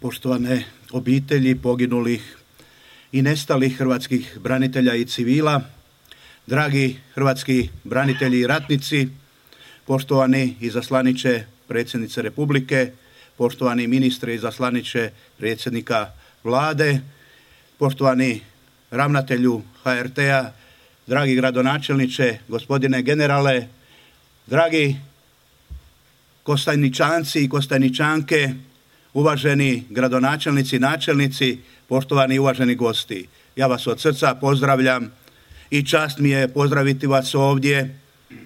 poštovane obitelji poginulih i nestalih hrvatskih branitelja i civila, dragi hrvatski branitelji i ratnici, poštovani izaslaniče predsjednice Republike, poštovani ministre izaslaniče predsjednika Vlade, poštovani ravnatelju HRT-a, dragi gradonačelniče, gospodine generale, dragi Kostajničanci i Kostajničanke, uvaženi gradonačelnici, načelnici, poštovani i uvaženi gosti. Ja vas od srca pozdravljam i čast mi je pozdraviti vas ovdje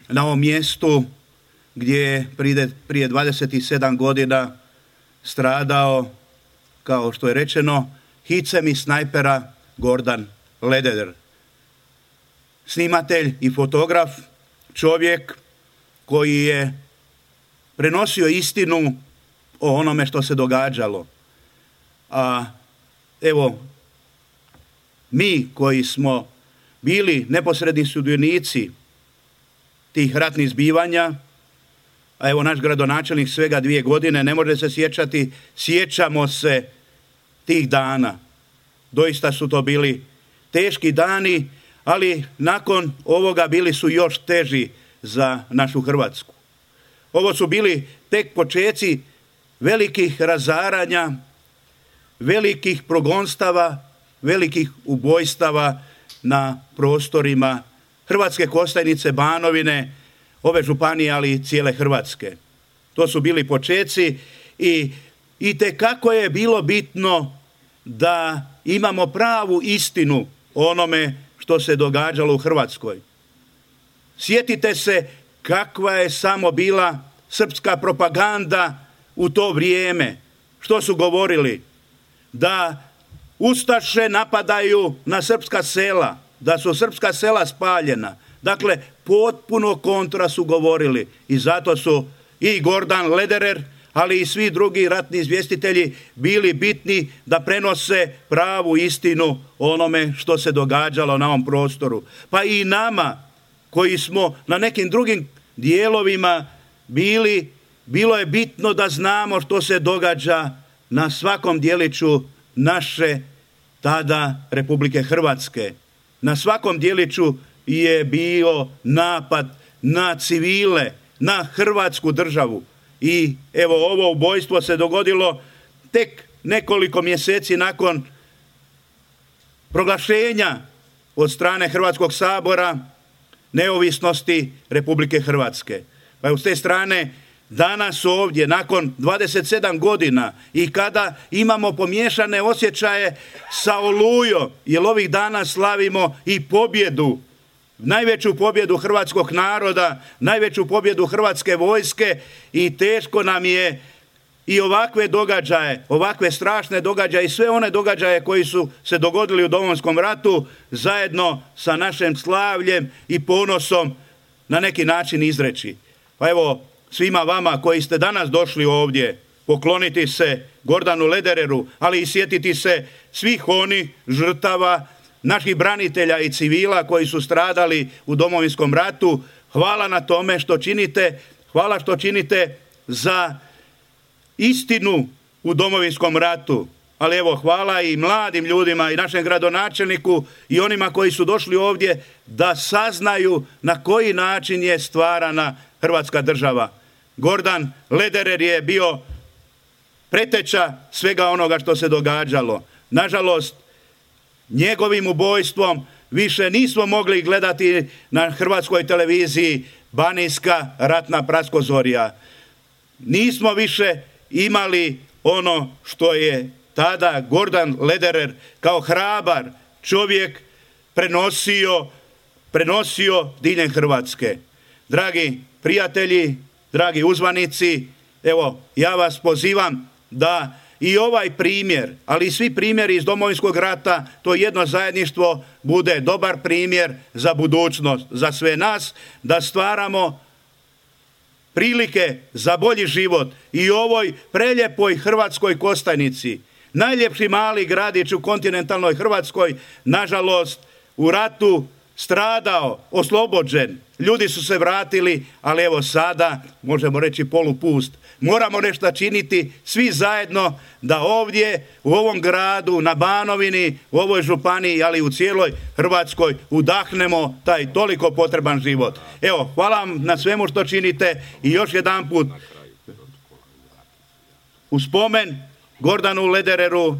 na ovom mjestu gdje je prije 27 godina stradao, kao što je rečeno, hicem i snajpera Gordan Lederer. Snimatelj i fotograf, čovjek koji je prenosio istinu o onome što se događalo. A evo, mi koji smo bili neposredni sudionici tih ratnih zbivanja, a evo naš gradonačelnik svega 2 godine ne može se sjećati, sjećamo se tih dana. Doista su to bili teški dani, ali nakon ovoga bili su još teži za našu Hrvatsku. Ovo su bili tek počeci velikih razaranja, velikih progonstava, velikih ubojstava na prostorima Hrvatske Kostajnice, Banovine, ove županije, ali i cijele Hrvatske. To su bili počeci i itekako je bilo bitno da imamo pravu istinu o onome što se događalo u Hrvatskoj. Sjetite se kakva je samo bila srpska propaganda u to vrijeme. Što su govorili? Da ustaše napadaju na srpska sela, da su srpska sela spaljena. Dakle, potpuno kontra su govorili i zato su i Gordan Lederer, ali i svi drugi ratni izvjestitelji bili bitni da prenose pravu istinu o onome što se događalo na ovom prostoru. Pa i nama koji smo na nekim drugim dijelovima bili, bilo je bitno da znamo što se događa na svakom dijeliću naše tada Republike Hrvatske. Na svakom dijeliću je bio napad na civile, na Hrvatsku državu. I evo, ovo ubojstvo se dogodilo tek nekoliko mjeseci nakon proglašenja od strane Hrvatskog sabora neovisnosti Republike Hrvatske. Pa s te strane danas ovdje, nakon 27 godina i kada imamo pomiješane osjećaje sa Olujom, jer ovih dana slavimo i pobjedu, najveću pobjedu hrvatskog naroda, najveću pobjedu Hrvatske vojske i teško nam je i ovakve događaje, ovakve strašne događaje i sve one događaje koji su se dogodili u Domovinskom ratu zajedno sa našim slavljem i ponosom na neki način izreći. Pa evo, svima vama koji ste danas došli ovdje pokloniti se Gordanu Ledereru, ali i sjetiti se svih onih žrtava, naših branitelja i civila koji su stradali u Domovinskom ratu. Hvala na tome što činite, hvala što činite za istinu u Domovinskom ratu. Ali evo, hvala i mladim ljudima i našem gradonačelniku i onima koji su došli ovdje da saznaju na koji način je stvarana Hrvatska država. Gordan Lederer je bio preteča svega onoga što se događalo. Nažalost, njegovim ubojstvom više nismo mogli gledati na hrvatskoj televiziji Banijska ratna praskozorja. Nismo više imali ono što je tada Gordan Lederer kao hrabar čovjek prenosio diljem Hrvatske. Dragi prijatelji, dragi uzvanici, evo, ja vas pozivam da i ovaj primjer, ali i svi primjeri iz Domovinskog rata, to jedno zajedništvo bude dobar primjer za budućnost, za sve nas, da stvaramo prilike za bolji život i u ovoj preljepoj Hrvatskoj Kostajnici. Najljepši mali gradić u kontinentalnoj Hrvatskoj, nažalost, u ratu stradao, oslobođen. Ljudi su se vratili, ali evo sada, možemo reći polupust. moramo nešto činiti svi zajedno da ovdje u ovom gradu, na Banovini, u ovoj županiji, ali i u cijeloj Hrvatskoj udahnemo taj toliko potreban život. Evo, hvala vam na svemu što činite i još jedanput u spomen Gordanu Ledereru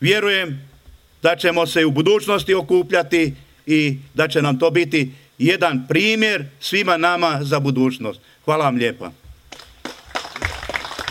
vjerujem da ćemo se u budućnosti okupljati i da će nam to biti jedan primjer svima nama za budućnost. Hvala vam lijepa.